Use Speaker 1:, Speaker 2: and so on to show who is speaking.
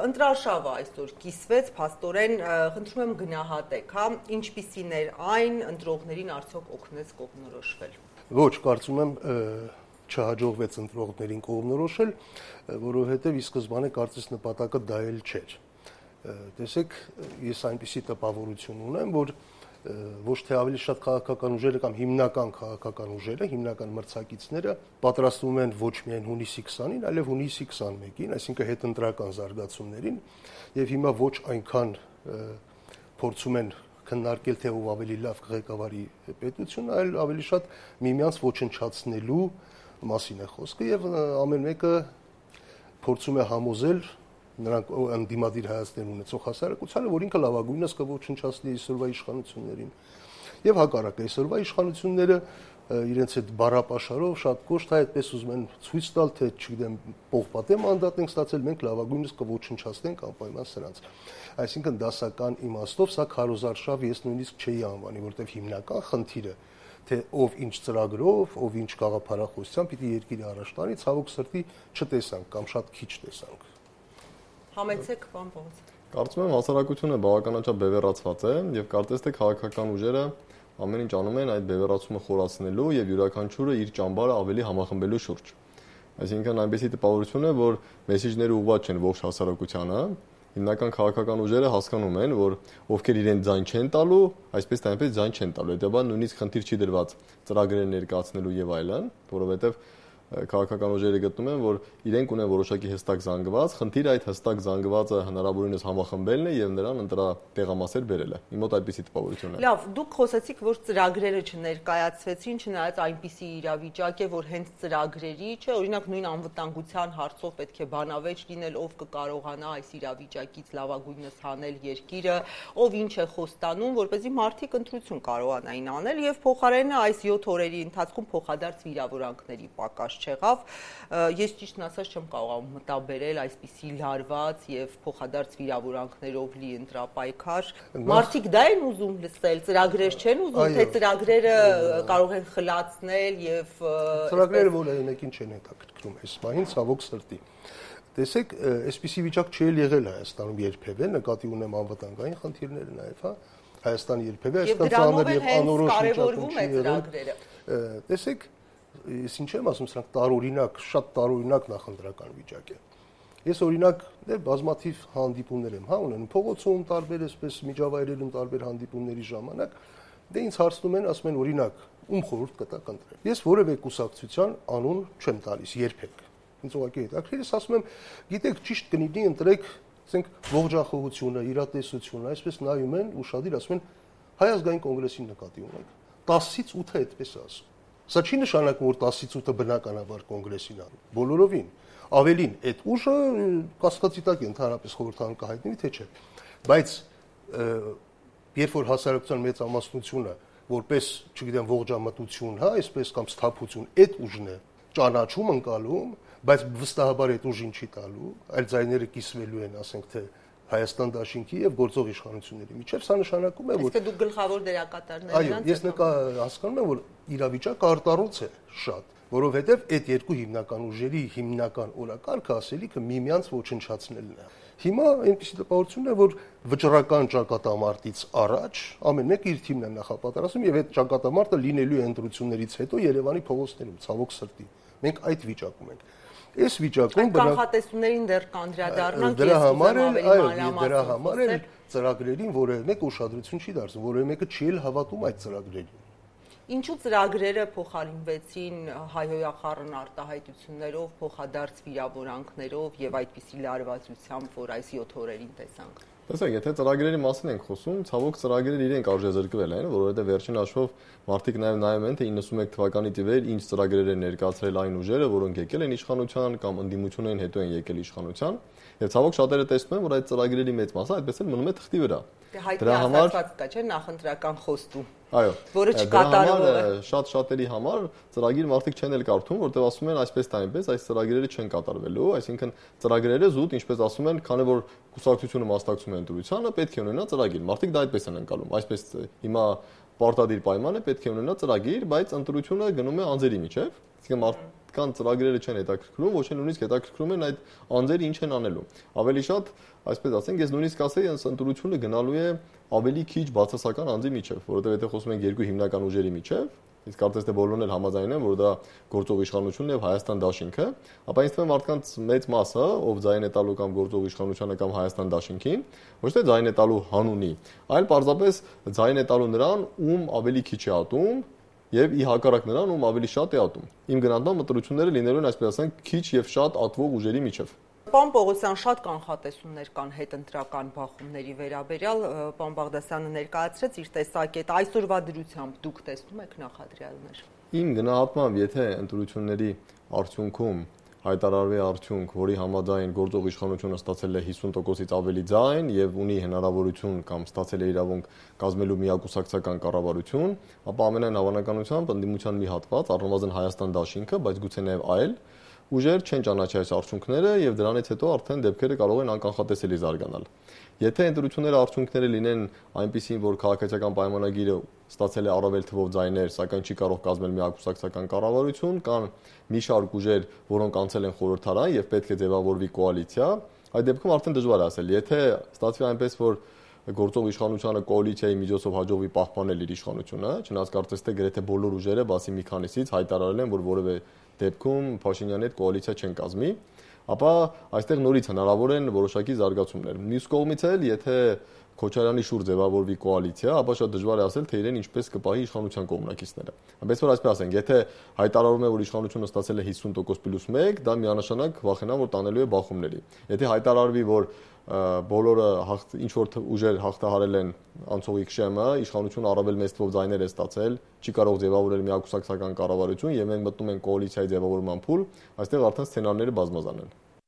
Speaker 1: Ընտրարշավը այսօր կիսվեց, փաստորեն խնդրում եմ գնահատեք, հա, ինչպիսին էր այն, ընտրողներին արդյոք օգնեց կողմնորոշվել։
Speaker 2: Ոչ, կարծում եմ չհաջողվեց ընտրողներին կողմնորոշել, որովհետև ի սկզբանե կարծես նպատակը դա էլ չէր։ Տեսեք, ես այնպիսի տպավորություն ունեմ, որ ոչ թե ավելի շատ քաղաքական ուժերը կամ հիմնական քաղաքական ուժերը, հիմնական մրցակիցները պատրաստվում են ոչ միայն հունիսի 20-ին, այլև հունիսի 21-ին, այսինքն հետընտրական զարգացումներին, եւ հիմա ոչ այնքան փորձում են քննարկել թե ով ավելի լավ կղեկավարի պետությունը, այլ ավելի շատ միմյանց ոչնչացնելու մասին է խոսքը եւ ամեն մեկը փորձում է համոզել նրանք անդիմադիր հայացքներ ունեցող հասարակությանը, որ ինքը լավագույնս կոչնչացնի այսօրվա իշխանություններին։ Եվ հակառակը, այսօրվա իշխանությունները իրենց այդ բառապաշարով շատ կոշտ այդպես ուզում են ցույց տալ, թե չգիտեմ, պողպատե մանդատ ենք ստացել, մենք լավագույնս կոչնչացնենք անպայման սրանց։ Այսինքն դասական իմաստով սա քարոզարշավ ես նույնիսկ չէի անվանի, որտեղ հիմնական խնդիրը թե ով ինչ ծրագրով, ով ինչ գաղափարախոսությամբ պիտի երկիրը առաջ տանի, ցավոք սրտի չտեսանք կամ շատ քիչ տեսանք։
Speaker 1: Համեցեք, պարոն Պողոս։
Speaker 3: Կարծում եմ հասարակությունը բավականաչափ բևեռացված է եւ կարծես թե քաղաքական ուժերը ամեն ինչ անում են այդ բևեռացումը խորացնելու եւ յուրաքանչյուրը իր ճամբարը ավելի համախմբելու շուրջ։ Այսինքն այնպեսի տպավորություն է, որ մեսեջները ուղղված չեն ողջ հասարակությանը, հիմնական քաղաքական ուժերը հասկանում են, որ ովքեր իրեն ձայն չեն տալու, այսպես թե այնպես ձայն չեն տալու։ Հետաբար նույնիսկ խնդիր չի դրված ծրագրեր ներկայացնելու եւ այլն, որովհետեւ քաղաքական ուժերը գտնում են, որ իրենք ունեն որոշակի հստակ զանգված, խնդիրը այդ հստակ զանգվածը հնարավորինս համախմբելն է եւ նրան ընտրատեղամասեր բերելը։ Իմ մոտ այդպիսի տպավորություն է։
Speaker 1: Լավ, դուք խոսեցիք, որ ծրագրերը չներկայացվեցին, չնայած այնպիսի իրավիճակ է, որ հենց ծրագրերի, չէ, օրինակ նույն անվտանգության հարցով պետք է բանավեճ լինել, ով կկարողանա այս իրավիճակից լավագույնս հանել երկիրը, ով ինչ է խոստանում, որպեսզի մարդիկ ընտրություն կարողանային անել եւ փոխարենը այս 7 օրերի ընթացքում փոխադարձ վիրավորանքների պակաս չեղավ, ես ճիշտն ասած չեմ կարող մտաբերել այսպիսի լարված եւ փոխադարձ վիրավորանքներով լի ընտրապայքար։ Մարդիկ դա են ուզում լսել, ծրագրեր չեն ուզում, թե ծրագրերը կարող են խլացնել եւ
Speaker 2: ծրագրերը որևէ մեկին չեն հետաքրքրում այս պահին, ցավոք սրտի։ Տեսեք, այսպիսի վիճակ չի եղել Հայաստանում երբևէ, նկատի ունեմ անվտանգային խնդիրները նաեւ, հա։ Հայաստանը երբևէ այսքան ծանր եւ անորոշ վիճակում չի եղել։ Տեսեք, ես ինչ եմ ասում, սրանք տարօրինակ, շատ տարօրինակ նախընտրական վիճակ է։ Ես օրինակ բազմաթիվ հանդիպումներ եմ, հա, ունենում փողոցում, տարբեր այսպես միջավայրերում տարբեր հանդիպումների ժամանակ, դե ինձ հարցնում են, ասում են օրինակ, ում խորհուրդ կտաք ընտրել։ Ես որևէ կուսակցության անուն չեմ տալիս երբեք։ Ինձ ուղղակի հետաքրքիր է, ասում եմ, գիտեք, ճիշտ կլինի ընտրեք, ասենք, ողջախոհությունը, իրատեսությունը, այսպես նայում են ուշադիր, ասում են, Հայ ազգային կոնգրեսին նկատի ունենք։ 10-ից 8-ը այդպես է ասում։ Սա չի նշանակում, որ 10-ից 8-ը բնականաբար կոնգրեսին անում։ Բոլորովին։ Ավելին, այդ ուժը կասկածի տակ է ընդհանրապես խորհրդարան կհայտնվի, թե չէ։ Բայց երբ որ հասարակության մեծամասնությունը որպես, չգիտեմ, ողջամտություն, հա, այսպես կամ սթափություն, այդ ուժն է ճանաչում, ընկալում, բայց վստահաբար այդ ուժին չի տալու, այլ ձայները կիսվելու են, ասենք թե Հայաստան դաշինքի եւ գործող իշխանությունների միջեւ, սա նշանակում է, որ
Speaker 1: իսկ դուք գլխավոր դերակատարներն
Speaker 2: եք։ Այո, ես հասկանում եմ, որ իրավիճակը արտառոց է շատ, որովհետեւ այդ երկու հիմնական ուժերի հիմնական օրակարգը ասելիքը միմյանց ոչնչացնելն է։ Հիմա այնպեսի տպավորություն է, որ վճռական ճակատամարտից առաջ ամեն մեկը իր թիմն է նախապատրաստում եւ այդ ճակատամարտը լինելու է ընտրություններից հետո Երևանի փողոցներում, ցավոք սրտի։ Մենք այդ վիճակում ենք։ Այս վիճակում
Speaker 1: կանխատեսումներին դեռ կանդրադառնանք,
Speaker 2: դրա համար էլ ծրագրերին որևէ մեկ ուշադրություն չի դարձնում, որևէ մեկը չի էլ հավատում այդ ծրագրերին։
Speaker 1: Ինչու ծրագրերը փոխարինվեցին հայհոյախառն արտահայտություններով, փոխադարձ վիրավորանքներով եւ այդպիսի լարվածությամբ, որ այս 7 օրերին տեսանք։
Speaker 3: Տեսեք, եթե ծրագրերի մասին ենք խոսում, ցավոք ծրագրերը իրենք արժեզրկվել են, որովհետև վերջին հաշվով մարդիկ նաև նայում են, թե 91 թվականից ի վեր ինչ ծրագրեր են ներկայացրել այն ուժերը, որոնք եկել են իշխանության կամ ընդդիմություններին հետո են եկել իշխանության, եւ ցավոք շատերը տեսնում են, որ այդ ծրագրերի մեծ մասը այդպես էլ մնում է թղթի վրա։
Speaker 1: Դրա համար կա, չէ՞, նախընտրական խոստում։
Speaker 3: Այո,
Speaker 1: որը չկատարվում է։
Speaker 3: Շատ-շատերի համար ծրագիր մարդիկ չեն էլ կարդում, որտեղ ասում են այսպես թե այնպես, այս ծրագրերը չեն կատարվելու, այսինքն ծրագրերը զուտ, ինչպես ասում են, քանի որ կուսակցությունը մասնակցում է ընտրությանը, պետք է ունենա ծրագիր։ Մարդիկ դա այդպես են անցալում, այսպես հիմա պարտադիր պայման է, պետք է ունենա ծրագիր, բայց ընտրությունը գնում է անձերի միջև, այսինքն կան ծրագրերը չեն հետաքրքրում, ոչ էլ նույնիսկ հետաքրքրում են այդ անձերը ինչ են անելու։ Ավելի շատ, այսպես ասենք, ես նույնիսկ ասեի, այս ընտրությունը գնալու է ավելի քիչ բացասական անձի միջև, որովհետև եթե խոսում ենք երկու հիմնական ուժերի միջև, իսկ կարծես թե բոլորն էլ համաձայն են, որ դա գործող իշխանությունն եւ Հայաստան դաշինքը, ապա ինձ թվում է մարդկանց մեծ մասը, ով ձայն է տալու կամ գործող իշխանությանը կամ Հայաստան դաշինքին, ոչ թե ձայն է տալու հանունի, այլ պարզապես ձայն է տալու նրան, ում ավելի քիչ է ատում եւ ի հակառակ նրան, ում ավելի շատ է ատում։ Իմ գնահատմամբ ընտրությունները լինելու են, այսպես ասենք, քիչ եւ շատ ատվող ուժերի միջև։
Speaker 1: Պարոն Պողոսյան, շատ կանխատեսումներ կան հետընտրական բախումների վերաբերյալ, պարոն Բաղդասյանը ներկայացրեց իր տեսակետը, այսօրվա դրությամբ դուք տեսնում եք նախադրյալներ։
Speaker 3: Իմ գնահատմամբ, եթե ընտրությունների արդյունքում հայտարարվի արդյունք, որի համաձայն գործող իշխանությունը ստացել է 50%-ից ավելի ձայն եւ ունի հնարավորություն կամ ստացել է իրավունք կազմելու միակուսակցական կառավարություն, ապա ամենայն հավանականությամբ ընդդիմության մի հատված, առնվազն Հայաստան դաշինքը, բայց գուցե նաեւ այլ ուժեր չեն ճանաչի այս արդյունքները եւ դրանից հետո արդեն դեպքերը կարող են անկանխատեսելի զարգանալ։ Եթե ընտրությունները արդյունքները լինեն այնպիսին, որ քաղաքացիական պայմանագիրը ստացել է առավել թվով ձայներ, սակայն չի կարող կազմել միակուսակցական կառավարություն, կան մի շարք ուժեր, որոնք անցել են խորհրդարան եւ պետք է ձևավորվի կոալիցիա, այդ դեպքում արդեն դժվար է ասել։ Եթե ստացվի այնպես, որ գործող իշխանությանը կոալիցիայի միջոցով հաջողվի պահպանել իր իշխանությունը, չնայած կարծես թե գրեթե բոլոր ուժերը, բացի մի քանիսից, հայտարարել են, որ որևէ դեպքում Փաշինյանի հետ կոալիցիա չեն կազմի, ապա այստեղ նորից հնարավոր են որոշակի զարգացումներ։ Մյուս կողմից էլ, եթե Քոչարյանի շուրջ ձևավորվի կոալիցիա, ապա շատ դժվար է ասել, թե իրեն ինչպես կպահի իշխանության կողմնակիցները։ Այնպես որ այսպես ասենք, եթե հայտարարում է, որ իշխանությունը ստացել է 50%+1, դա միանշանակ վախենամ, որ տանելու է բախումների։ Եթե հայտարարվի, որ բոլորը ինչ որ ուժեր հաղթահարել են անցողիկ շեմը, իշխանությունը առավել մեծ թվով ձայներ է ստացել, չի կարող ձևավորել միակուսակցական կառավարություն եւ մենք մտնում ենք կոալիցիայի ձևավորման փուլ, այստեղ արդեն սցենարները բազմազան են։